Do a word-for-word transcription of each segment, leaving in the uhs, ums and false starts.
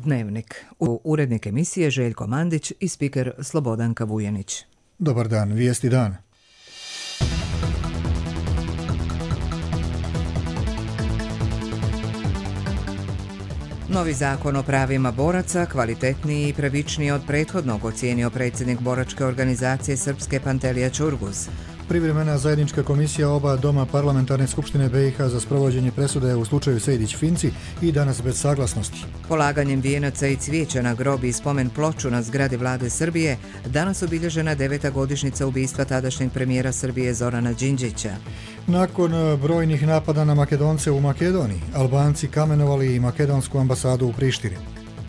Dnevnik. U urednik emisije Željko Mandić i spiker Slobodanka Vujenić. Dobar dan, vijesti dana. Novi zakon o pravima boraca, kvalitetniji i pravičniji od prethodnog, ocijenio predsjednik boračke organizacije Srpske Pantelija Čurguz. Privremena zajednička komisija oba doma parlamentarne skupštine B i H za sprovođenje presude u slučaju Sejdić-Finci i danas bez saglasnosti. Polaganjem vijenaca i cvijeća na grobi i spomen ploču na zgradi vlade Srbije, danas obilježena deveta godišnjica ubistva tadašnjeg premijera Srbije Zorana Đinđića. Nakon brojnih napada na Makedonce u Makedoniji, Albanci kamenovali i makedonsku ambasadu u Prištini.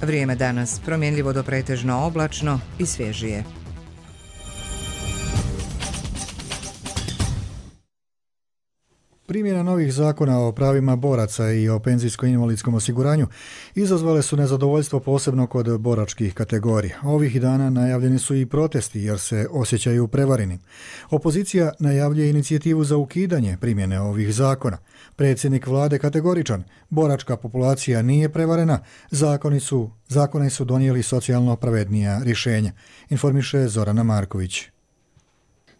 Vrijeme danas promjenljivo do pretežno oblačno i svježije. Primjena novih zakona o pravima boraca i o penzijsko-invalidskom osiguranju izazvale su nezadovoljstvo posebno kod boračkih kategorija. Ovih dana najavljeni su i protesti jer se osjećaju prevareni. Opozicija najavljuje inicijativu za ukidanje primjene ovih zakona. Predsjednik vlade kategoričan, boračka populacija nije prevarena, zakoni su, zakoni su donijeli socijalno pravednija rješenja, informiše Zorana Marković.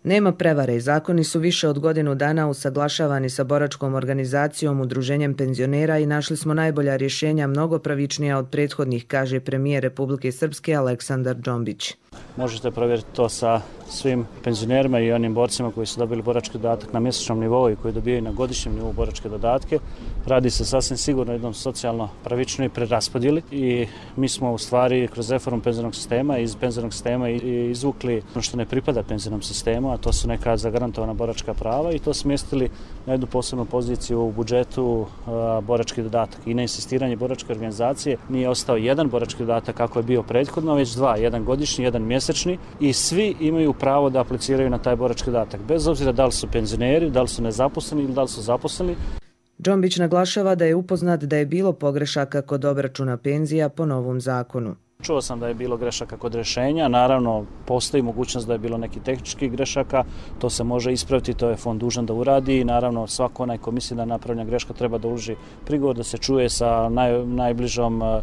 Nema prevare, zakoni su više od godinu dana usaglašavani sa boračkom organizacijom, udruženjem penzionera i našli smo najbolja rješenja, mnogo pravičnija od prethodnih, kaže premijer Republike Srpske Aleksandar Džombić. Možete provjeriti to sa svim penzionerima i onim borcima koji su dobili borački dodatak na mjesečnom nivou i koji dobijaju na godišnjem nivou boračke dodatke. Radi se sasvim sigurno jednom socijalno pravičnoj preraspodjeli i mi smo u stvari kroz reformu penzionog sistema iz penzionog sistema izvukli ono što ne pripada penzionom sistemu, a to su neka zagarantovana boračka prava i to smjestili na jednu posebnu poziciju u budžetu a, borački dodatak. I na insistiranje boračke organizacije nije ostao jedan borački dodatak kako je bio prethodno, već dva, jedan godišnji, jedan mjesečni i svi imaju pravo da apliciraju na taj borački dodatak, bez obzira da li su penzioneri, da li su nezaposleni ili da li su zaposleni. Džombić naglašava da je upoznat da je bilo pogrešaka kod obračuna penzija po novom zakonu. Čuo sam da je bilo grešaka kod rješenja, naravno postoji mogućnost da je bilo neki tehničkih grešaka, to se može ispraviti, to je fond dužan da uradi i naravno svako onaj ko misli da je napravljena greška treba da uloži prigovor, da se čuje sa naj, najbližom eh,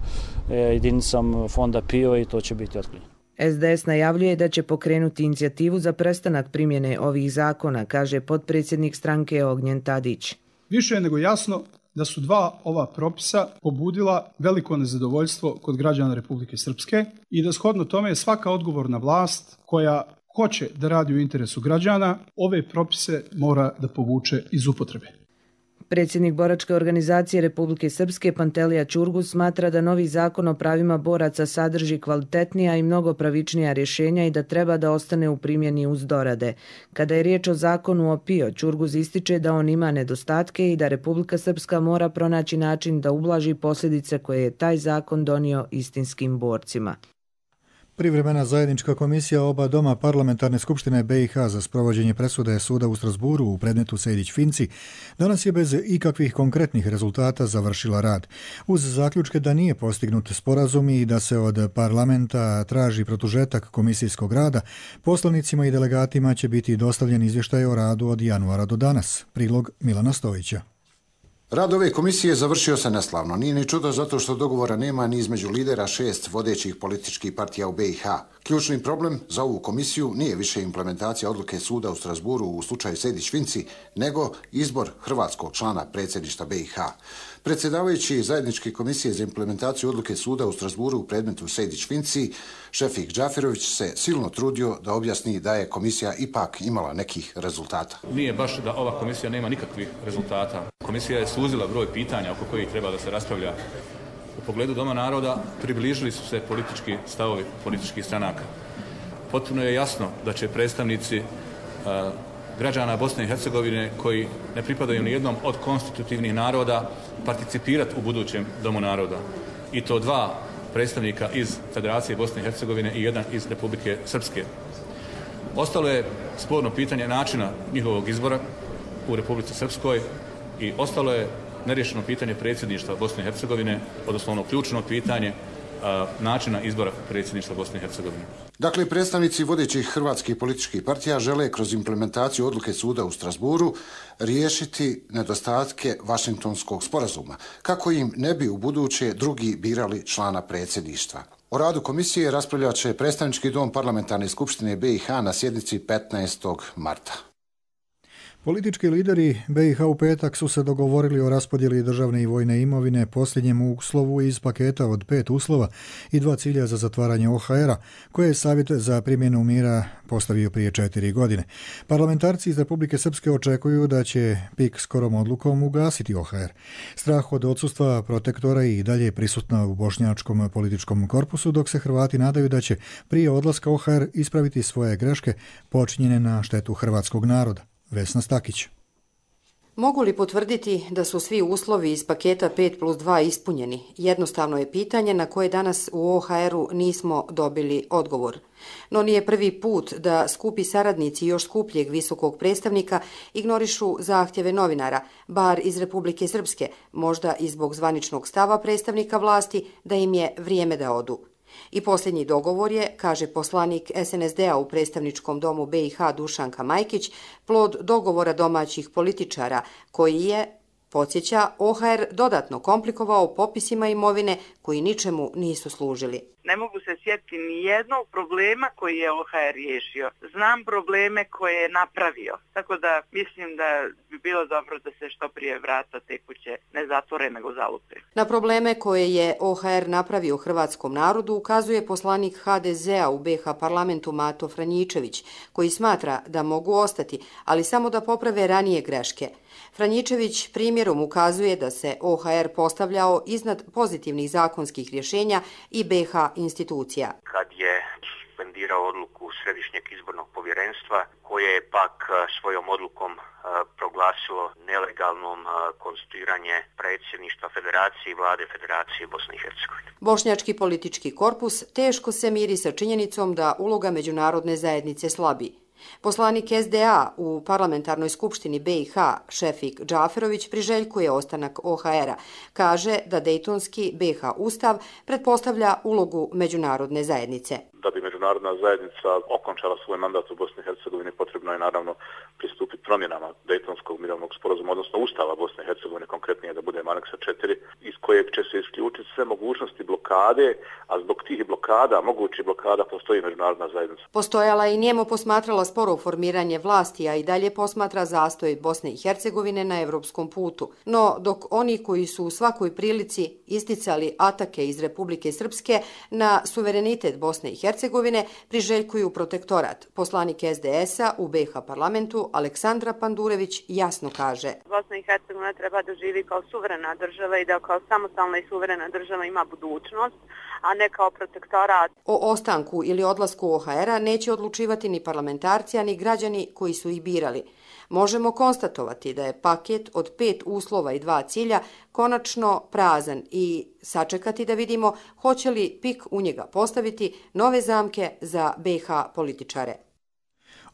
jedinicom fonda P I O i to će biti otklonjeno. S D S najavljuje da će pokrenuti inicijativu za prestanak primjene ovih zakona, kaže potpredsjednik stranke Ognjen Tadić. Više je nego jasno da su dva ova propisa pobudila veliko nezadovoljstvo kod građana Republike Srpske i da shodno tome je svaka odgovorna vlast koja hoće da radi u interesu građana, ove propise mora da povuče iz upotrebe. Predsjednik boračke organizacije Republike Srpske Pantelija Čurguz smatra da novi zakon o pravima boraca sadrži kvalitetnija i mnogo pravičnija rješenja i da treba da ostane u primjeni uz dorade. Kada je riječ o zakonu o P I O, Čurguz ističe da on ima nedostatke i da Republika Srpska mora pronaći način da ublaži posljedice koje je taj zakon donio istinskim borcima. Privremena zajednička komisija oba doma parlamentarne skupštine B i H za sprovođenje presude suda u Strasburu u predmetu Sejdić-Finci danas je bez ikakvih konkretnih rezultata završila rad. Uz zaključke da nije postignut sporazum i da se od parlamenta traži produžetak komisijskog rada, poslanicima i delegatima će biti dostavljen izvještaj o radu od januara do danas. Prilog Milana Stojića. Rad ove komisije završio se neslavno. Nije ni čudo zato što dogovora nema ni između lidera šest vodećih političkih partija u B i H. Ključni problem za ovu komisiju nije više implementacija odluke suda u Strasburu u slučaju Sejdić-Finci, nego izbor hrvatskog člana predsjedništva B i H. Predsjedavajući zajedničke komisije za implementaciju odluke suda u Strasburu u predmetu Sejdić-Finci, Šefik Džaferović se silno trudio da objasni da je komisija ipak imala nekih rezultata. Nije baš da ova komisija nema nikakvih rezultata. Komisija je suzila broj pitanja oko kojih treba da se raspravlja. U pogledu Doma naroda približili su se politički stavovi političkih stranaka. Potpuno je jasno da će predstavnici uh, građana Bosne i Hercegovine koji ne pripadaju ni jednom od konstitutivnih naroda participirati u budućem Domu naroda. I to dva predstavnika iz Federacije Bosne i Hercegovine i jedan iz Republike Srpske. Ostalo je sporno pitanje načina njihovog izbora u Republici Srpskoj i ostalo je neriješeno pitanje predsjedništva Bosne i Hercegovine, odnosno ono ključno pitanje načina izbora predsjedništva Bosne i Hercegovine. Dakle, predstavnici vodećih hrvatskih političkih partija žele kroz implementaciju odluke suda u Strasburu riješiti nedostatke Vašingtonskog sporazuma, kako im ne bi u buduće drugi birali člana predsjedništva. O radu komisije raspravljat će predstavnički dom Parlamentarne skupštine B i H na sjednici petnaestog marta. Politički lideri B i H u petak su se dogovorili o raspodjeli državne i vojne imovine posljednjem uslovu iz paketa od pet uslova i dva cilja za zatvaranje O H R-a, koje je Savjet za primjenu mira postavio prije četiri godine. Parlamentarci iz Republike Srpske očekuju da će P I K skorom odlukom ugasiti O H R. Strah od odsustva protektora i dalje je prisutna u bošnjačkom političkom korpusu, dok se Hrvati nadaju da će prije odlaska O H R ispraviti svoje greške počinjene na štetu hrvatskog naroda. Vesna Stakić. Mogu li potvrditi da su svi uslovi iz paketa pet plus dva ispunjeni? Jednostavno je pitanje na koje danas u O H R-u nismo dobili odgovor. No nije prvi put da skupi saradnici još skupljeg visokog predstavnika ignorišu zahtjeve novinara, bar iz Republike Srpske, možda i zbog zvaničnog stava predstavnika vlasti da im je vrijeme da odu. I posljednji dogovor je, kaže poslanik S N S D-a u predstavničkom domu B i H Dušanka Majkić, plod dogovora domaćih političara koji je, podsjeća, O H R dodatno komplikovao popisima imovine koji ničemu nisu služili. Ne mogu se sjetiti ni jednog problema koji je O H R riješio. Znam probleme koje je napravio. Tako da mislim da bi bilo dobro da se što prije vrata te kuće ne zatvore nego zalupe. Na probleme koje je O H R napravio hrvatskom narodu ukazuje poslanik H D Z-a u B H parlamentu Mato Franjičević, koji smatra da mogu ostati, ali samo da poprave ranije greške. Franjičević primjerom ukazuje da se O H R postavljao iznad pozitivnih zakonskih rješenja i B H institucija. Kad je suspendirao odluku Središnjeg izbornog povjerenstva, koje je pak svojom odlukom proglasilo nelegalnom konstituiranje predsjedništva Federacije i vlade Federacije Bosne i Hercegovine. Bošnjački politički korpus teško se miri sa činjenicom da uloga međunarodne zajednice slabi. Poslanik S D A u Parlamentarnoj skupštini B i H Šefik Džaferović priželjkuje ostanak O H R-a. Kaže da Dejtonski B H ustav pretpostavlja ulogu međunarodne zajednice. Da bi međunarodna zajednica okončala svoj mandat u Bosni i Hercegovini, potrebno je naravno pristupiti promjenama Dejtonskog mirovnog sporazuma, odnosno Ustava Bosne i Hercegovine, konkretnije da bude aneksa četiri, iz kojeg će se isključiti sve mogućnosti blokade, a zbog tih blokada, mogućih blokada, postoji međunarodna zajednica. Postojala i njemo posmatrala sporo formiranje vlasti, a i dalje posmatra zastoj Bosne i Hercegovine na evropskom putu. No, dok oni koji su u svakoj prilici isticali atake iz Republike Srpske na suverenitet Bosne i Hercegovine, priželjkuju protektorat. Poslanik S D S-a u B H parlamentu Aleksandra Pandurević jasno kaže: Bosna i Hercegovina treba da živi kao suverena država i da kao samostalna i suverena država ima budućnost, a ne kao protektorat. O ostanku ili odlasku O H R-a neće odlučivati ni parlamentarci, a ni građani koji su ih birali. Možemo konstatovati da je paket od pet uslova i dva cilja konačno prazan i sačekati da vidimo hoće li P I K u njega postaviti nove zamke za B H političare.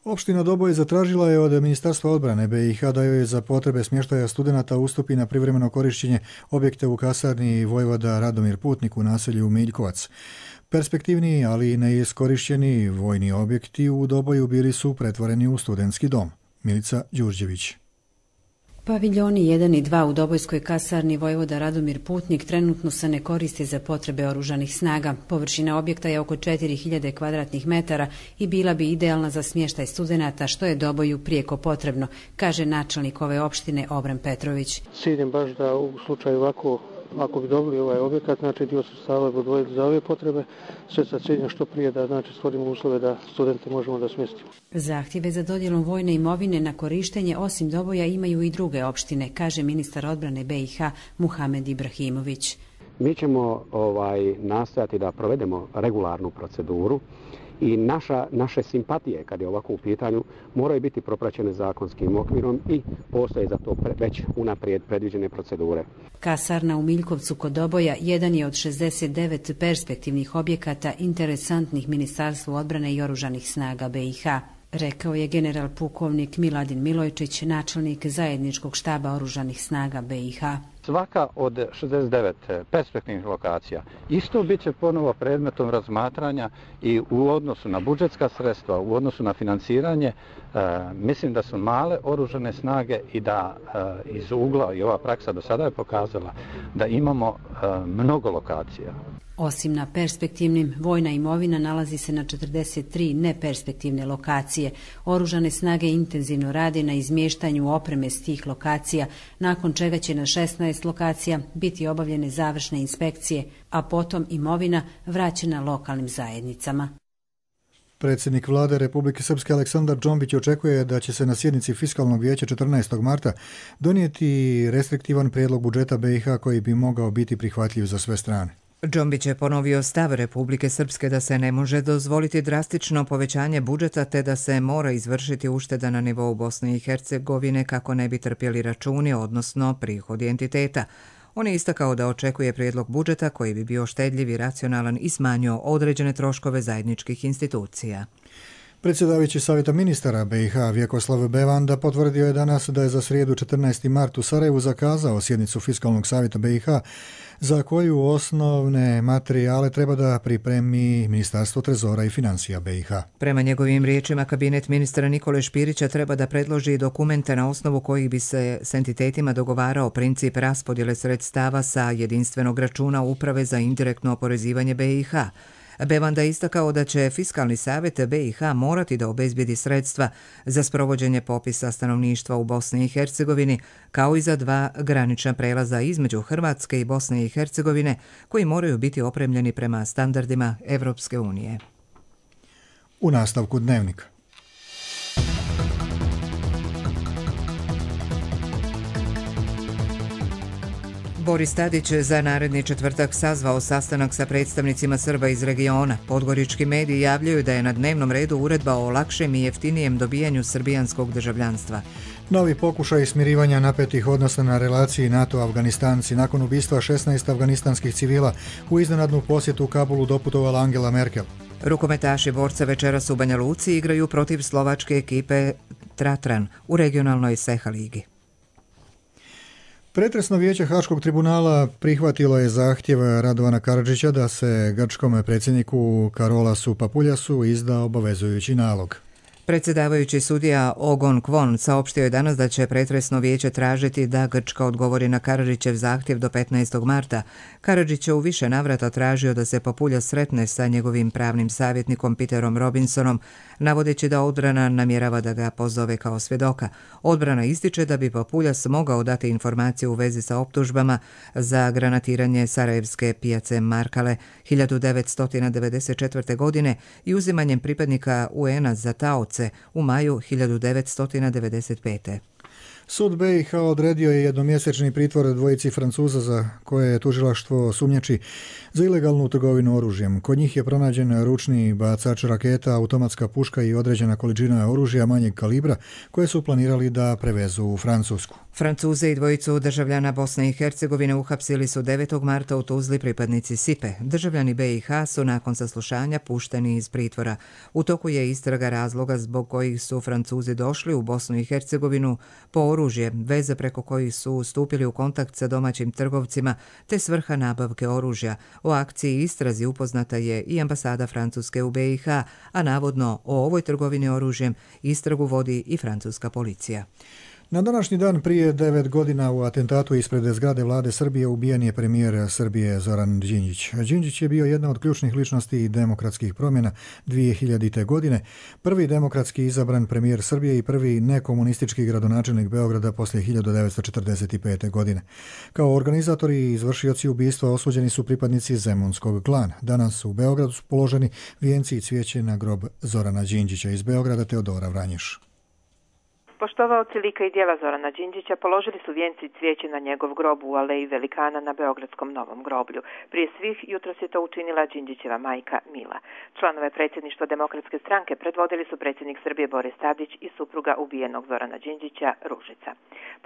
Opština Doboj zatražila je od Ministarstva odbrane B i H da joj za potrebe smještaja studenata ustupi na privremeno korišćenje objekte u kasarni vojvoda Radomir Putnik u naselju Miljkovac. Perspektivni, ali i neiskorišćeni vojni objekti u Doboju bili su pretvoreni u studentski dom. Milica Đurđević. Paviljoni jedan i dva u Dobojskoj kasarni vojvoda Radomir Putnik trenutno se ne koriste za potrebe oružanih snaga. Površina objekta je oko četiri hiljade kvadratnih metara i bila bi idealna za smještaj studenata, što je Doboju prijeko potrebno, kaže načelnik ove opštine Obran Petrović. Ciljem baš da u slučaju ovako, ako bi dobili ovaj objekat, znači dio sredstava bi odvojili za ove potrebe, sve sa ciljem što prije da znači stvorimo uslove da studente možemo da smjestimo. Zahtjeve za dodjelom vojne imovine na korištenje osim Doboja imaju i druge opštine, kaže ministar odbrane B i H Muhamed Ibrahimović. Mi ćemo ovaj, nastojati da provedemo regularnu proceduru i naša, naše simpatije, kad je ovako u pitanju, moraju biti propraćene zakonskim okvirom i postoje za to pre, već unaprijed predviđene procedure. Kasarna u Miljkovcu kod Doboja jedan je od šezdeset devet perspektivnih objekata interesantnih Ministarstvu odbrane i oružanih snaga B i H. Rekao je general pukovnik Miladin Milojčić, načelnik zajedničkog štaba oružanih snaga B i H. Svaka od šezdeset devet perspektivnih lokacija isto bit će ponovo predmetom razmatranja i u odnosu na budžetska sredstva, u odnosu na financiranje, e, mislim da su male oružane snage i da e, iz ugla, i ova praksa do sada je pokazala, da imamo e, mnogo lokacija. Osim na perspektivnim, vojna imovina nalazi se na četrdeset tri neperspektivne lokacije. Oružane snage intenzivno rade na izmještanju opreme s tih lokacija, nakon čega će na šesnaest lokacija biti obavljene završne inspekcije, a potom imovina vraćena lokalnim zajednicama. Predsjednik vlade Republike Srpske Aleksandar Džombić očekuje da će se na sjednici Fiskalnog vijeća četrnaestog marta donijeti restriktivan prijedlog budžeta B i H koji bi mogao biti prihvatljiv za sve strane. Džombić je ponovio stav Republike Srpske da se ne može dozvoliti drastično povećanje budžeta te da se mora izvršiti ušteda na nivou Bosne i Hercegovine kako ne bi trpjeli računi, odnosno prihodi entiteta. On je istakao da očekuje prijedlog budžeta koji bi bio štedljiv i racionalan i smanjio određene troškove zajedničkih institucija. Predsjedavajući Savjeta ministara B i H Vjekoslav Bevanda potvrdio je danas da je za srijedu četrnaesti mart u Sarajevu zakazao sjednicu Fiskalnog savjeta B i H za koju osnovne materijale treba da pripremi Ministarstvo trezora i financija B i H. Prema njegovim riječima, kabinet ministra Nikole Špirića treba da predloži dokumente na osnovu kojih bi se s entitetima dogovarao princip raspodjele sredstava sa jedinstvenog računa Uprave za indirektno oporezivanje B i H. Bevanda je istakao da će Fiskalni savjet B i H morati da obezbijedi sredstva za sprovođenje popisa stanovništva u Bosni i Hercegovini, kao i za dva granična prelaza između Hrvatske i Bosne i Hercegovine, koji moraju biti opremljeni prema standardima Evropske unije. U nastavku dnevnika. Boris Tadić za naredni četvrtak sazvao sastanak sa predstavnicima Srba iz regiona. Podgorički mediji javljaju da je na dnevnom redu uredba o lakšem i jeftinijem dobijanju srbijanskog državljanstva. Novi pokušaj smirivanja napetih odnosa na relaciji NATO-Afganistanci nakon ubistva šesnaest afganistanskih civila u iznenadnu posjetu u Kabulu doputovala Angela Merkel. Rukometaši borca večeras u Banja Luci igraju protiv slovačke ekipe Tatran u regionalnoj Seha ligi. Pretresno vijeće Haškog tribunala prihvatilo je zahtjev Radovana Karadžića da se grčkom predsjedniku Karolasu Papuljasu izda obavezujući nalog. Predsjedavajući sudija Ogon Kvon saopštio je danas da će pretresno vijeće tražiti da Grčka odgovori na Karadžićev zahtjev do petnaestog marta. Karadžić je u više navrata tražio da se Papuljas sretne sa njegovim pravnim savjetnikom Peterom Robinsonom, navodeći da odbrana namjerava da ga pozove kao svjedoka. Odbrana ističe da bi Papuljas mogao dati informacije u vezi sa optužbama za granatiranje sarajevske pijace Markale hiljadu devetsto devedeset četvrte. godine i uzimanjem pripadnika U N-a za taoce u maju hiljadu devetsto devedeset pete. Sud B i H odredio je jednomjesečni pritvor dvojici Francuza za koje je tužilaštvo sumnjači za ilegalnu trgovinu oružjem. Kod njih je pronađen ručni bacač raketa, automatska puška i određena količina oružja manjeg kalibra koje su planirali da prevezu u Francusku. Francuze i dvojicu državljana Bosne i Hercegovine uhapsili su devetog marta u Tuzli pripadnici Sipe. Državljani B i H su nakon saslušanja pušteni iz pritvora. U toku je istraga razloga zbog kojih su Francuzi došli u Bosnu i Hercegovinu po oružje, veze preko kojih su stupili u kontakt sa domaćim trgovcima, te svrha nabavke oružja. O akciji i istrazi upoznata je i ambasada Francuske u B i H, a navodno o ovoj trgovini oružjem istragu vodi i francuska policija. Na današnji dan prije devet godina u atentatu ispred zgrade vlade Srbije ubijen je premijer Srbije Zoran Đinđić. Đinđić je bio jedna od ključnih ličnosti demokratskih promjena dvije hiljadite. godine, prvi demokratski izabran premijer Srbije i prvi nekomunistički gradonačelnik Beograda poslije hiljadu devetsto četrdeset pete. godine. Kao organizatori i izvršioci ubistva osuđeni su pripadnici Zemunskog klana. Danas u Beogradu su položeni vijenci i cvijeće na grob Zorana Đinđića. Iz Beograda Teodora Vranješ. Poštovaoci lika i djela Zorana Đinđića položili su vijenci i cvijeće na njegov grob u Aleji Velikana na Beogradskom Novom groblju. Prije svih jutros je to učinila Đinđićeva majka Mila. Članove predsjedništva Demokratske stranke predvodili su predsjednik Srbije Boris Tadić i supruga ubijenog Zorana Đinđića Ružica.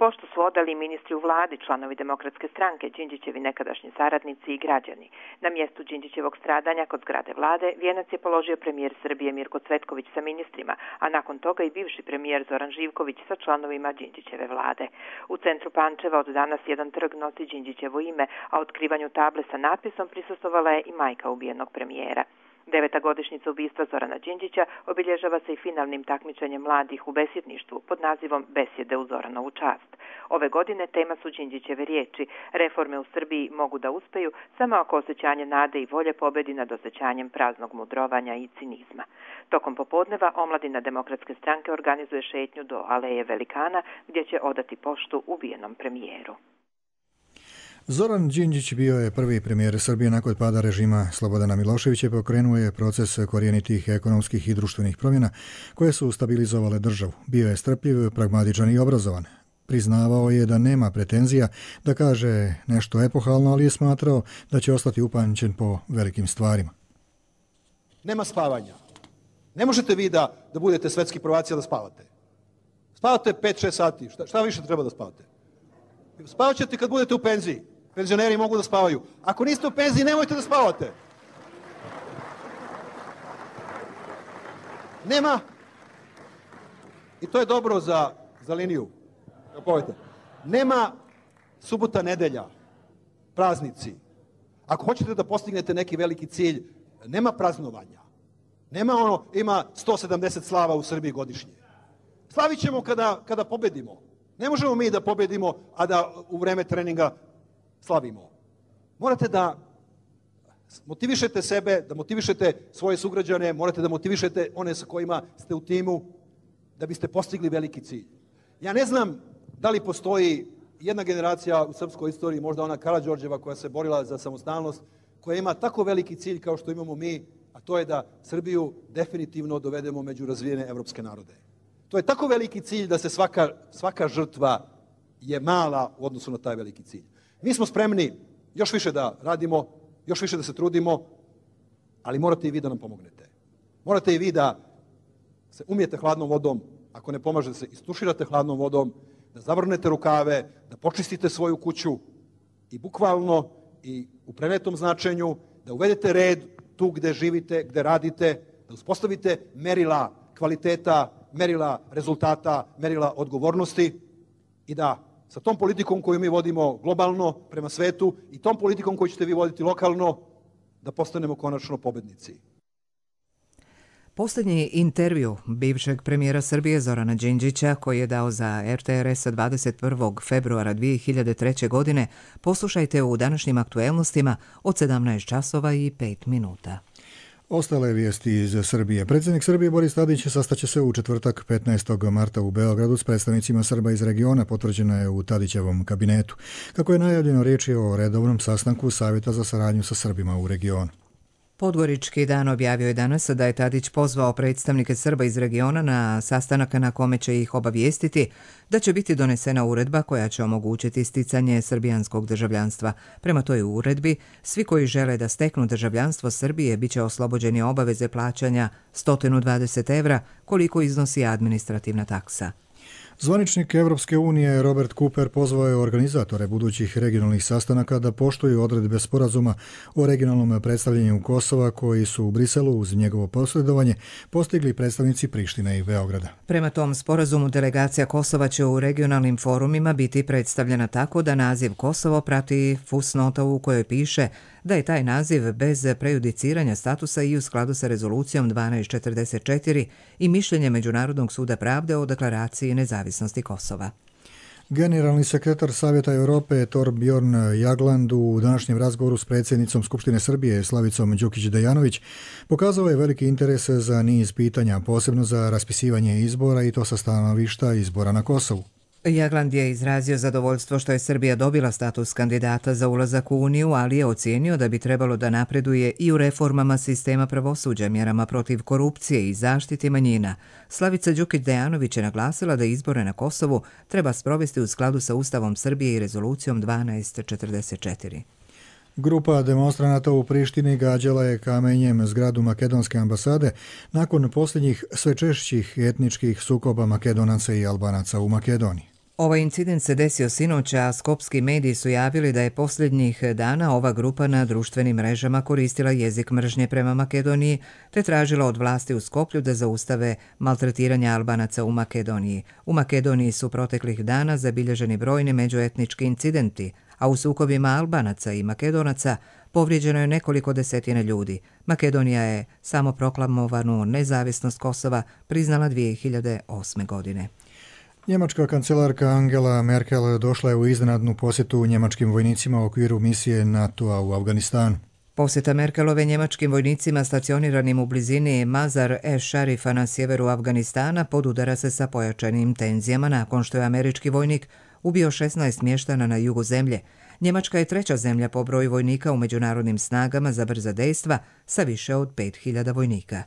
Pošto su odali ministri u vladi, članovi Demokratske stranke, Đinđićevi nekadašnji saradnici i građani. Na mjestu Đinđićevog stradanja kod zgrade vlade vijenac je položio premijer Srbije Mirko Cvetković sa ministrima, a nakon toga i bivši premijer Zoran Živković Marinković sa članovima Đinđićeve vlade. U centru Pančeva od danas jedan trg nosi Đinđićevo ime, a otkrivanju table sa natpisom prisustvovala je i majka ubijenog premijera. Deveta godišnjica ubistva Zorana Đinđića obilježava se i finalnim takmičenjem mladih u besjedništvu pod nazivom Besjede u Zoranovu čast. Ove godine tema su Đinđićeve riječi. Reforme u Srbiji mogu da uspeju samo ako osjećanje nade i volje pobedi nad osjećanjem praznog mudrovanja i cinizma. Tokom popodneva omladina Demokratske stranke organizuje šetnju do Aleje Velikana gdje će odati poštu ubijenom premijeru. Zoran Đinđić bio je prvi premijer Srbije nakon pada režima Slobodana Miloševića i pokrenuo je proces korijenitih ekonomskih i društvenih promjena koje su stabilizovale državu. Bio je strpljiv, pragmatičan i obrazovan. Priznavao je da nema pretenzija da kaže nešto epohalno, ali je smatrao da će ostati upamćen po velikim stvarima. Nema spavanja. Ne možete vi da, da budete svetski prvaci da spavate. Spavate pet šest sati. Šta, šta više treba da spavate? Spavat ćete kad budete u penziji. Penzioneri mogu da spavaju. Ako niste u penziji, nemojte da spavate. Nema. I to je dobro za, za liniju. Nema subota, nedelja, praznici. Ako hoćete da postignete neki veliki cilj, nema praznovanja. Nema ono, ima sto sedamdeset slava u Srbiji godišnje. Slavit ćemo kada, kada pobedimo. Ne možemo mi da pobedimo, a da u vreme treninga slavimo. Morate da motivišete sebe, da motivišete svoje sugrađane, morate da motivišete one sa kojima ste u timu, da biste postigli veliki cilj. Ja ne znam da li postoji jedna generacija u srpskoj istoriji, možda ona Karađorđeva koja se borila za samostalnost, koja ima tako veliki cilj kao što imamo mi, a to je da Srbiju definitivno dovedemo među razvijene evropske narode. To je tako veliki cilj da se svaka, svaka žrtva je mala u odnosu na taj veliki cilj. Mi smo spremni još više da radimo, još više da se trudimo, ali morate i vi da nam pomognete. Morate i vi da se umijete hladnom vodom, ako ne pomaže da se istuširate hladnom vodom, da zavrnete rukave, da počistite svoju kuću i bukvalno i u prenetom značenju, da uvedete red tu gde živite, gde radite, da uspostavite merila kvaliteta, merila rezultata, merila odgovornosti i da sa tom politikom koju mi vodimo globalno prema svetu i tom politikom koju ćete vi voditi lokalno, da postanemo konačno pobednici. Posljednji intervju bivšeg premijera Srbije Zorana Đinđića, koji je dao za er te er es dvadeset prvog februara dvije hiljade treće. godine, poslušajte u današnjim aktuelnostima od sedamnaest časova i pet minuta. Ostale vijesti iz Srbije. Predsjednik Srbije Boris Tadić sastaće se u četvrtak petnaestog marta u Beogradu s predstavnicima Srba iz regiona, potvrđeno je u Tadićevom kabinetu. Kako je najavljeno, riječ je o redovnom sastanku Savjeta za saradnju sa Srbima u regionu. Podgorički dan objavio je danas da je Tadić pozvao predstavnike Srba iz regiona na sastanak na kome će ih obavijestiti da će biti donesena uredba koja će omogućiti sticanje srbijanskog državljanstva. Prema toj uredbi, svi koji žele da steknu državljanstvo Srbije bit će oslobođeni obaveze plaćanja sto dvadeset evra, koliko iznosi administrativna taksa. Zvaničnik Evropske unije Robert Cooper pozvao je organizatore budućih regionalnih sastanaka da poštuju odredbe sporazuma o regionalnom predstavljanju Kosova koji su u Briselu uz njegovo posredovanje postigli predstavnici Prištine i Beograda. Prema tom sporazumu delegacija Kosova će u regionalnim forumima biti predstavljena tako da naziv Kosovo prati fusnota u kojoj piše da je taj naziv bez prejudiciranja statusa i u skladu sa rezolucijom dvanaest četrdeset četiri i mišljenje Međunarodnog suda pravde o deklaraciji nezavisnosti Kosova. Generalni sekretar Savjeta Europe Torbjorn Jagland u današnjem razgovoru s predsjednicom Skupštine Srbije Slavicom Đukić-Dejanović pokazao je veliki interes za niz pitanja, posebno za raspisivanje izbora i to sa stanovišta izbora na Kosovu. Jagland je izrazio zadovoljstvo što je Srbija dobila status kandidata za ulazak u Uniju, ali je ocijenio da bi trebalo da napreduje i u reformama sistema pravosuđa, mjerama protiv korupcije i zaštiti manjina. Slavica Đukić-Dejanović je naglasila da izbore na Kosovu treba sprovesti u skladu sa Ustavom Srbije i rezolucijom dvanaest četrdeset četiri. Grupa demonstranata u Prištini gađala je kamenjem zgradu makedonske ambasade nakon posljednjih sve češćih etničkih sukoba Makedonaca i Albanaca u Makedoniji. Ovaj incident se desio sinoć, a skopski mediji su javili da je posljednjih dana ova grupa na društvenim mrežama koristila jezik mržnje prema Makedoniji te tražila od vlasti u Skoplju da zaustave maltretiranje Albanaca u Makedoniji. U Makedoniji su proteklih dana zabilježeni brojni međuetnički incidenti, a u sukobima Albanaca i Makedonaca povrijeđeno je nekoliko desetina ljudi. Makedonija je samoproklamovanu nezavisnost Kosova priznala dvije hiljade osme. godine. Njemačka kancelarka Angela Merkel došla je u iznenadnu posjetu njemačkim vojnicima u okviru misije NATO-a u Afganistanu. Posjeta Merkelove njemačkim vojnicima stacioniranim u blizini Mazar-e-Sharifa na sjeveru Afganistana podudara se sa pojačanim tenzijama nakon što je američki vojnik ubio šesnaest mještana na jugu zemlje. Njemačka je treća zemlja po broju vojnika u međunarodnim snagama za brza dejstva sa više od pet hiljada vojnika.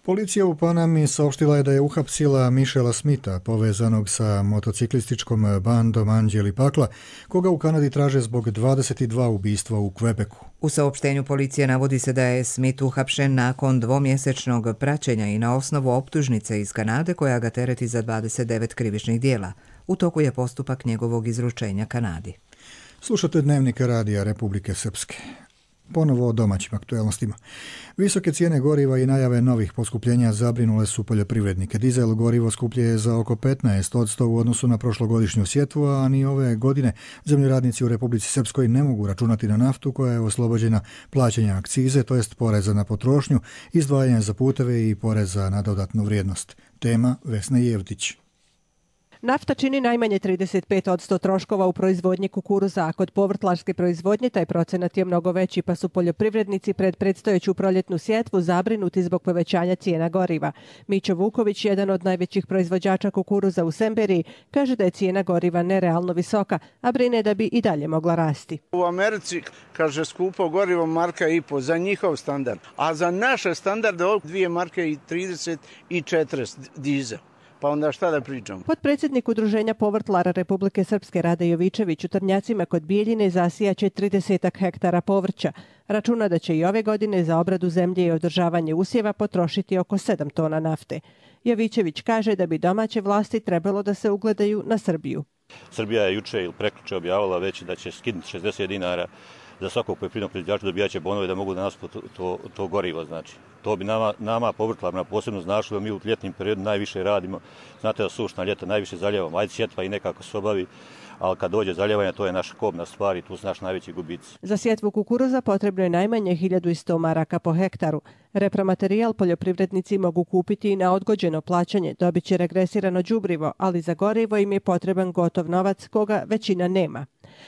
Policija u Panami saopštila je da je uhapsila Michela Smitha, povezanog sa motociklističkom bandom Anđeli Pakla, koga u Kanadi traže zbog dvadeset dva ubistva u Quebecu. U saopštenju policije navodi se da je Smith uhapšen nakon dvomjesečnog praćenja i na osnovu optužnice iz Kanade koja ga tereti za dvadeset devet krivičnih dijela. U toku je postupak njegovog izručenja Kanadi. Slušate Dnevnik Radija Republike Srpske. Ponovo o domaćim aktuelnostima. Visoke cijene goriva i najave novih poskupljenja zabrinule su poljoprivrednike. Dizel gorivo skuplje je za oko petnaest posto u odnosu na prošlogodišnju sjetvu, a ni ove godine zemljoradnici u Republici Srpskoj ne mogu računati na naftu koja je oslobođena plaćanja akcize, to jest poreza na potrošnju, izdvajanja za puteve i poreza na dodatnu vrijednost. Tema Vesna Jevtić. Nafta čini najmanje trideset pet posto troškova u proizvodnji kukuruza, a kod povrtlarske proizvodnje taj procenat je mnogo veći, pa su poljoprivrednici pred predstojeću proljetnu sjetvu zabrinuti zbog povećanja cijena goriva. Mićo Vuković, jedan od najvećih proizvođača kukuruza u Semberiji, kaže da je cijena goriva nerealno visoka, a brine da bi i dalje mogla rasti. U Americi, kaže, skupo gorivo marka i po za njihov standard, a za naše standarde dvije marke i trideset i četrdeset dizel. Pa onda šta da pričamo? Potpredsjednik Udruženja povrtlara Republike Srpske Rade Jovičević u Trnjacima kod Bijeljine zasijaće trideset hektara povrća. Računa da će i ove godine za obradu zemlje i održavanje usjeva potrošiti oko sedam tona nafte. Jovičević kaže da bi domaće vlasti trebalo da se ugledaju na Srbiju. Srbija je juče ili prekjuče objavila već da će skinuti šezdeset dinara za svakog poljoprivrednog proizvođača, dobijaće bonove da mogu da nas to, to, to gorivo, znači. To bi nama, nama povrtlarima posebno značilo, mi u ljetnim periodu najviše radimo. Znate da sušna ljeta najviše zaljevamo, ajde sjetva i nekako se obavi, ali kad dođe zaljevanje, to je naša kobna stvar i tu su naš najveći gubici. Za sjetvu kukuruza potrebno je najmanje hiljadu sto maraka po hektaru. Repromaterijal poljoprivrednici mogu kupiti i na odgođeno plaćanje, dobit će regresirano đubrivo, ali za gorivo im je potreban gotov novac koga većina nema.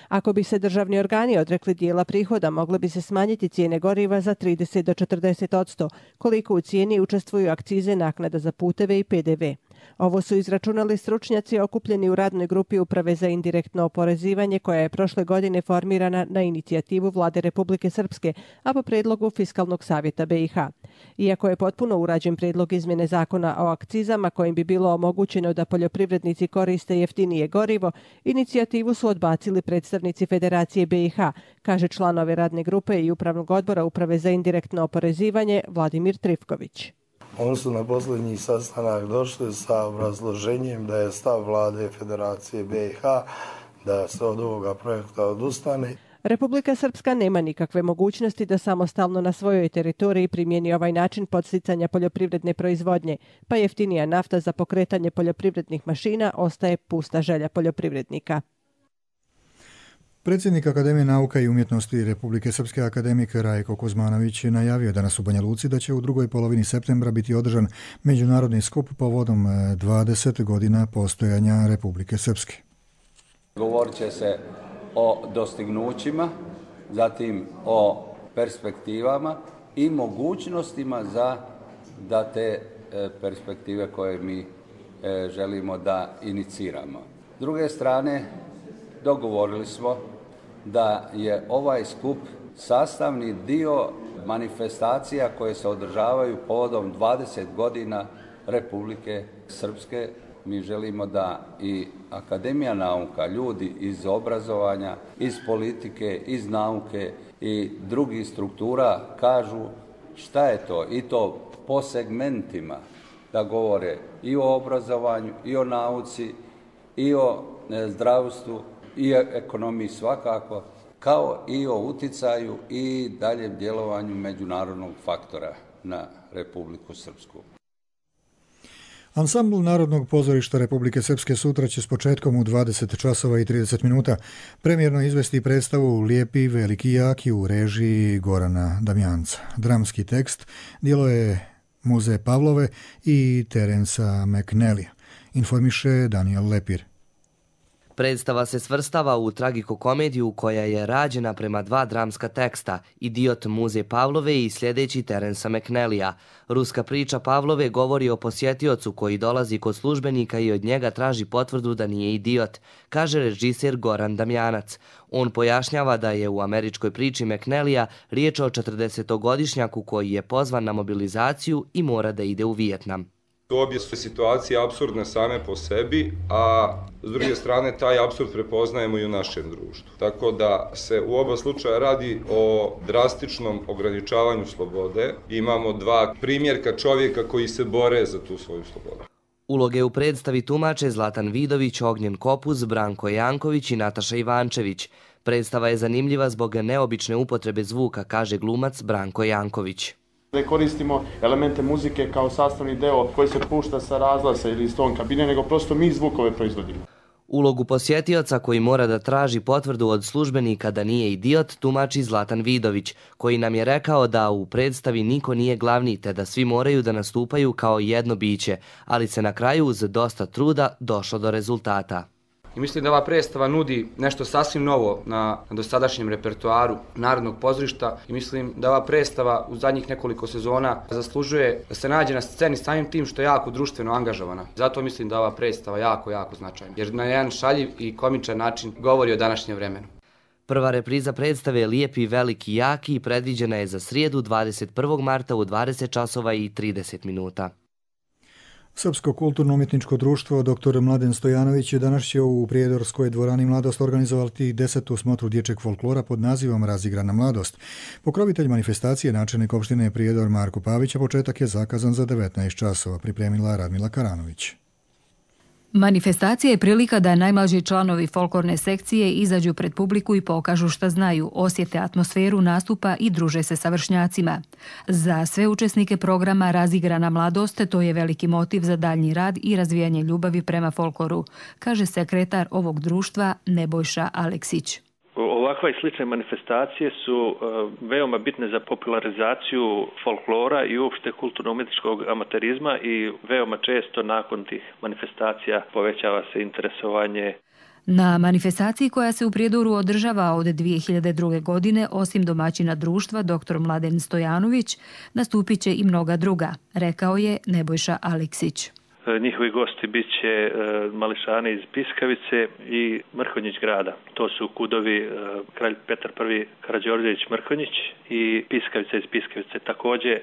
Ako bi se državni organi odrekli dijela prihoda, mogle bi se smanjiti cijene goriva za trideset do četrdeset posto, koliko u cijeni učestvuju akcize, naknada za puteve i pe de ve. Ovo su izračunali stručnjaci okupljeni u radnoj grupi Uprave za indirektno oporezivanje koja je prošle godine formirana na inicijativu Vlade Republike Srpske, a po predlogu Fiskalnog savjeta be i ha. Iako je potpuno urađen predlog izmjene zakona o akcizama kojim bi bilo omogućeno da poljoprivrednici koriste jeftinije gorivo, inicijativu su odbacili predstavnici Federacije be i ha, kaže član ove radne grupe i Upravnog odbora Uprave za indirektno oporezivanje Vladimir Trifković. Oni su na posljednji sastanak došli sa obrazloženjem da je stav Vlade Federacije be i ha da se od ovoga projekta odustane. Republika Srpska nema nikakve mogućnosti da samostalno na svojoj teritoriji primjeni ovaj način podsticanja poljoprivredne proizvodnje, pa jeftinija nafta za pokretanje poljoprivrednih mašina ostaje pusta želja poljoprivrednika. Predsjednik Akademije nauka i umjetnosti Republike Srpske akademik Rajko Kuzmanović najavio danas u Banja Luci da će u drugoj polovini septembra biti održan međunarodni skup povodom dvadeset godina postojanja Republike Srpske. Govorit će se o dostignućima, zatim o perspektivama i mogućnostima za da te perspektive koje mi želimo da iniciramo. S druge strane, dogovorili smo da je ovaj skup sastavni dio manifestacija koje se održavaju povodom dvadeset godina Republike Srpske. Mi želimo da i Akademija nauka, ljudi iz obrazovanja, iz politike, iz nauke i drugih struktura kažu šta je to, i to po segmentima, da govore i o obrazovanju, i o nauci, i o zdravstvu i ekonomiji svakako, kao i o uticaju i daljem djelovanju međunarodnog faktora na Republiku Srpsku. Ansambl Narodnog pozorišta Republike Srpske sutra će s početkom u dvadeset časova i trideset minuta premijerno izvesti predstavu Lijepi, veliki, jaki u režiji Gorana Damjanca. Dramski tekst djelo je Muze Pavlove i Terensa McNellija, informiše Daniel Lepir. Predstava se svrstava u tragikokomediju koja je rađena prema dva dramska teksta, Idiot Muze Pavlove i sljedeći Terensa McNellija. Ruska priča Pavlove govori o posjetiocu koji dolazi kod službenika i od njega traži potvrdu da nije idiot, kaže režiser Goran Damjanac. On pojašnjava da je u američkoj priči McNellija riječ o četrdesetogodišnjaku koji je pozvan na mobilizaciju i mora da ide u Vijetnam. Obje su situacije apsurdne same po sebi, a s druge strane taj apsurd prepoznajemo i u našem društvu. Tako da se u oba slučaja radi o drastičnom ograničavanju slobode. Imamo dva primjerka čovjeka koji se bore za tu svoju slobodu. Uloge u predstavi tumače Zlatan Vidović, Ognjen Kopuz, Branko Janković i Nataša Ivančević. Predstava je zanimljiva zbog neobične upotrebe zvuka, kaže glumac Branko Janković. Da koristimo elemente muzike kao sastavni deo koji se pušta sa razglasa ili iz ton kabine, nego prosto mi zvukove proizvodimo. Ulogu posjetioca koji mora da traži potvrdu od službenika da nije idiot tumači Zlatan Vidović, koji nam je rekao da u predstavi niko nije glavni te da svi moraju da nastupaju kao jedno biće, ali se na kraju uz dosta truda došlo do rezultata. I mislim da ova predstava nudi nešto sasvim novo na dosadašnjem repertoaru Narodnog pozorišta i mislim da ova predstava u zadnjih nekoliko sezona zaslužuje da se nađe na sceni samim tim što je jako društveno angažovana. Zato mislim da ova predstava jako, jako značajna, jer na jedan šaljiv i komičan način govori o današnjem vremenu. Prva repriza predstave Lijepi, veliki, jaki predviđena je za srijedu dvadeset prvog marta u dvadeset časova i trideset minuta. Srpsko kulturno-umjetničko društvo doktor Mladen Stojanović danas će u Prijedorskoj dvorani Mladost organizovati desetu smotru dječjeg folklora pod nazivom Razigrana mladost. Pokrovitelj manifestacije, načelnik opštine Prijedor Marko Pavić, a početak je zakazan za devetnaest časova, pripremila Radmila Karanović. Manifestacija je prilika da najmlađi članovi folklorne sekcije izađu pred publiku i pokažu šta znaju, osjete atmosferu nastupa i druže se sa vršnjacima. Za sve učesnike programa Razigrana mladost to je veliki motiv za daljnji rad i razvijanje ljubavi prema folkloru, kaže sekretar ovog društva Nebojša Aleksić. Ovakva i slične manifestacije su veoma bitne za popularizaciju folklora i uopšte kulturno-umjetničkog amaterizma i veoma često nakon tih manifestacija povećava se interesovanje. Na manifestaciji koja se u Prijedoru održava od dvije hiljade druge. godine, osim domaćina društva doktor Mladen Stojanović, nastupit će i mnoga druga, rekao je Nebojša Aleksić. Njihovi gosti bit će mališani iz Piskavice i Mrkonjić grada. To su kudovi kralj Petar prvi Karađorđević Mrkonjić i Piskavica iz Piskavice. Također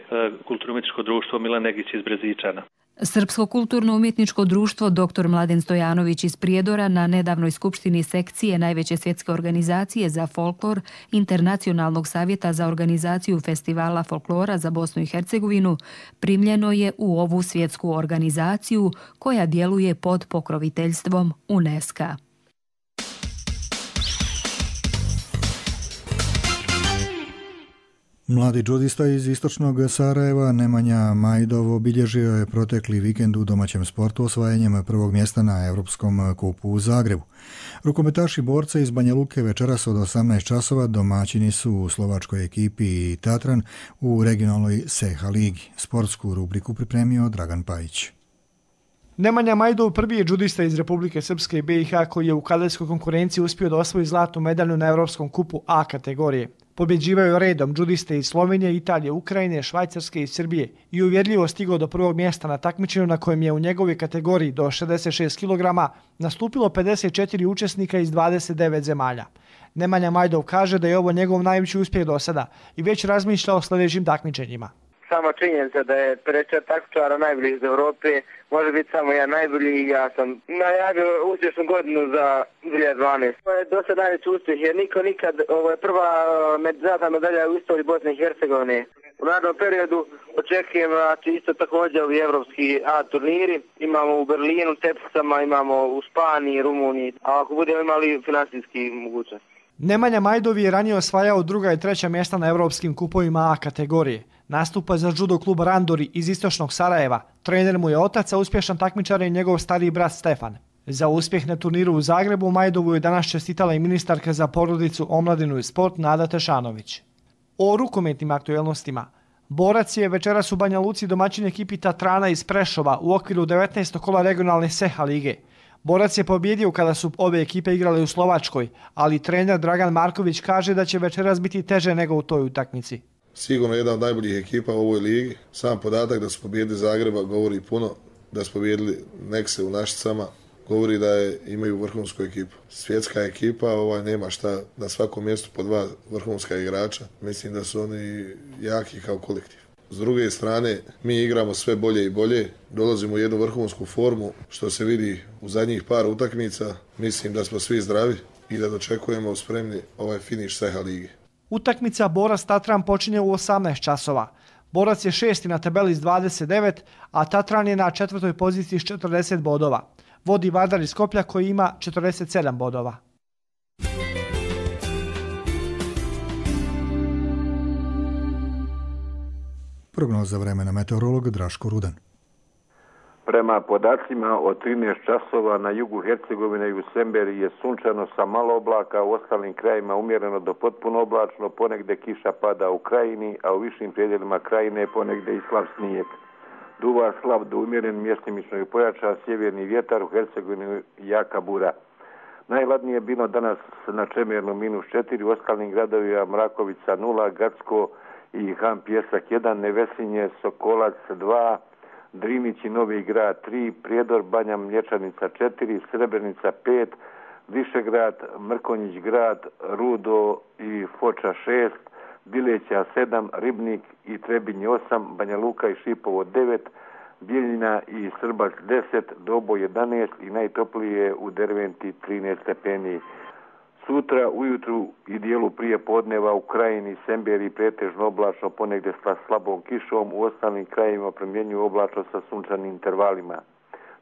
kulturno-umjetničko društvo Milan Negić iz Brezičana. Srpsko kulturno-umjetničko društvo doktor Mladen Stojanović iz Prijedora na nedavnoj skupštini sekcije najveće svjetske organizacije za folklor Internacionalnog savjeta za organizaciju festivala folklora za Bosnu i Hercegovinu primljeno je u ovu svjetsku organizaciju koja djeluje pod pokroviteljstvom UNESCO-a. Mladi džudista iz istočnog Sarajeva Nemanja Majdov obilježio je protekli vikend u domaćem sportu osvajanjem prvog mjesta na Europskom kupu u Zagrebu. Rukometaši borca iz Banja Luke večeras od osamnaest časova domaćini su u slovačkoj ekipi Tatran u regionalnoj Seha ligi. Sportsku rubriku pripremio Dragan Pajić. Nemanja Majdov prvi je džudista iz Republike Srpske i B i H koji je u kadetskoj konkurenciji uspio da osvoji zlatnu medalju na Europskom kupu A kategorije. Pobjeđivaju redom džudiste iz Slovenije, Italije, Ukrajine, Švajcarske i Srbije i uvjerljivo stigao do prvog mjesta na takmičenju na kojem je u njegovoj kategoriji do šezdeset šest kilograma nastupilo pedeset četiri učesnika iz dvadeset devet zemalja. Nemanja Majdov kaže da je ovo njegov najveći uspjeh do sada i već razmišlja o sljedećim takmičenjima. sama činjenica da je pedeset četiri takmičara najboljih iz Evrope, može biti samo jedan najbolji i ja sam najavio uspješnu godinu za dvije hiljade dvanaeste. To je dosta najveći uspjeh jer niko nikad, ovo je prva zlatna medalja u istoriji Bosne i Hercegovine. U narednom periodu očekujem znači, isto također ovi evropski A turniri. Imamo u Berlinu, Tepsicama, imamo u Španiji, Rumuniji, a ako budemo imali finansijski mogućnost. Nemanja Majdov je ranije osvajao druga i treća mjesta na evropskim kupovima A kategorije. Nastupa za judo klub Randori iz istočnog Sarajeva. Trener mu je otac, a uspješan takmičar je njegov stariji brat Stefan. Za uspjeh na turniru u Zagrebu Majdovu je danas čestitala i ministarka za porodicu, omladinu i sport Nada Tešanović. O rukometnim aktuelnostima. Borac je večeras u Banja Luci domaćin ekipi Tatrana iz Prešova u okviru devetnaestog kola regionalne Seha lige. Borac je pobjedio kada su obe ekipe igrale u Slovačkoj, ali trener Dragan Marković kaže da će večeras biti teže nego u toj utakmici. Sigurno jedna od najboljih ekipa u ovoj ligi. Sam podatak da su pobjedili Zagreba govori puno, da su pobjedili Nekse u Našicama, govori da je, imaju vrhunsku ekipu. Svjetska ekipa, ovaj, nema šta na svakom mjestu po dva vrhunska igrača. Mislim da su oni jaki kao kolektiv. S druge strane, mi igramo sve bolje i bolje, dolazimo u jednu vrhunsku formu, što se vidi u zadnjih par utakmica. Mislim da smo svi zdravi i da dočekujemo spremni ovaj finiš Seha lige. Utakmica Borac Tatran počinje u osamnaest časova. Borac je šesti na tabeli s dvadeset devet, a Tatran je na četvrtoj poziciji s četrdeset bodova. Vodi Vardar iz Skoplja koji ima četrdeset sedam bodova. Prognoza vremena meteorolog Draško Rudan. Prema podacima od trinaest časova na jugu Hercegovine i u Semberi je sunčano sa malo oblaka, u ostalim krajima umjereno do potpuno oblačno, ponegde kiša pada u krajini, a u višim predjelima krajine ponegde i slab snijeg. Duva slab do umjeren, mjestimično i pojača sjeverni vjetar, u Hercegovini jaka bura. Najhladnije je bilo danas na Čemernu minus četiri, u ostalim gradovima Mrakovica nula, Gacko i Han Pjesak jedan, Nevesinje, Sokolac dva, Drinić i Novi Grad tri, Prijedor, Banja Mlječanica četiri, Srebrenica pet, Višegrad, Mrkonjić grad, Rudo i Foča šest, Bileća sedam, Ribnik i Trebinje osam, Banja Luka i Šipovo devet, Bijeljina i Srbac deset, Dobo jedanaest i najtoplije u Derventi trinaest stepeni. Sutra ujutru i dijelu prije podneva u krajini Semberi pretežno oblačno, ponegdje sa slabom kišom, u ostalim krajima promjenjuju oblačno sa sunčanim intervalima.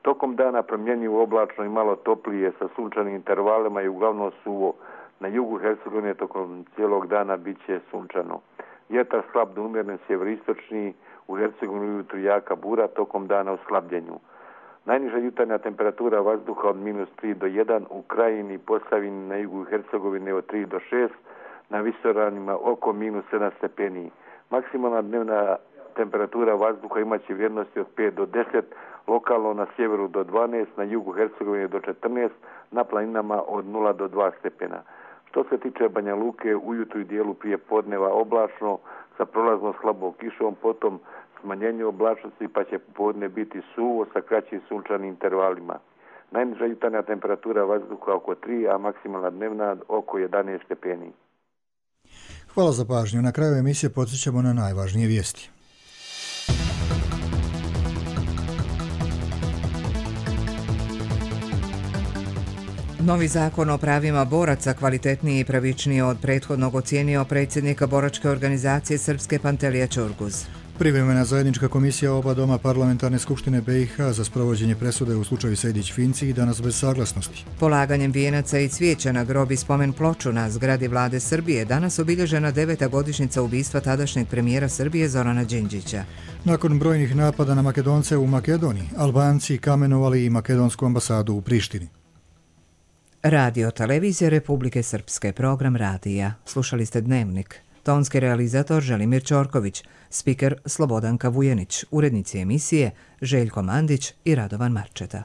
Tokom dana promjenjuju oblačno i malo toplije sa sunčanim intervalima i uglavnom suvo. Na jugu Hercegovine tokom cijelog dana bit će sunčano. Vjetar slab do umjeren sjeveristočni, u Hercegovini ujutru jaka bura, tokom dana u slabljenju. Najniža jutarnja temperatura vazduha od minus tri do jedan, u krajini Posavini na jugu Hercegovine od tri do šest, na visoranima oko minus sedam stepeni. Maksimalna dnevna temperatura vazduha imaće vrijednosti od pet do deset, lokalno na sjeveru do dvanaest, na jugu Hercegovine do četrnaest, na planinama od nula do dva stepena. Što se tiče Banja Luke, ujutru i dijelu prije podneva oblačno, sa prolaznom slabom kišom, potom smanjenje oblačnosti pa će popodne biti suvo sa kraćim sunčanim intervalima. Najniža jutarnja temperatura vazduha oko tri, a maksimalna dnevna oko jedanaest stepeni. Hvala za pažnju. Na kraju emisije podsjećamo na najvažnije vijesti. Novi zakon o pravima boraca, kvalitetniji i pravičniji od prethodnog, ocijenio predsjednika boračke organizacije Srpske Pantelija Ćorguz. Privremena zajednička komisija oba doma parlamentarne skupštine B i H za sprovođenje presude u slučaju Sejdić-Finci i danas bez saglasnosti. Polaganjem vijenaca i cvijeća na grob i spomen ploču na zgradi vlade Srbije danas obilježena deveta godišnjica ubistva tadašnjeg premijera Srbije Zorana Đinđića. Nakon brojnih napada na Makedonce u Makedoniji, Albanci kamenovali i makedonsku ambasadu u Prištini. Radio Televizije Republike Srpske, program radija. Slušali ste Dnevnik. Tonski realizator Želimir Ćorković, spiker Slobodanka Vujenić, urednici emisije Željko Mandić i Radovan Marčeta.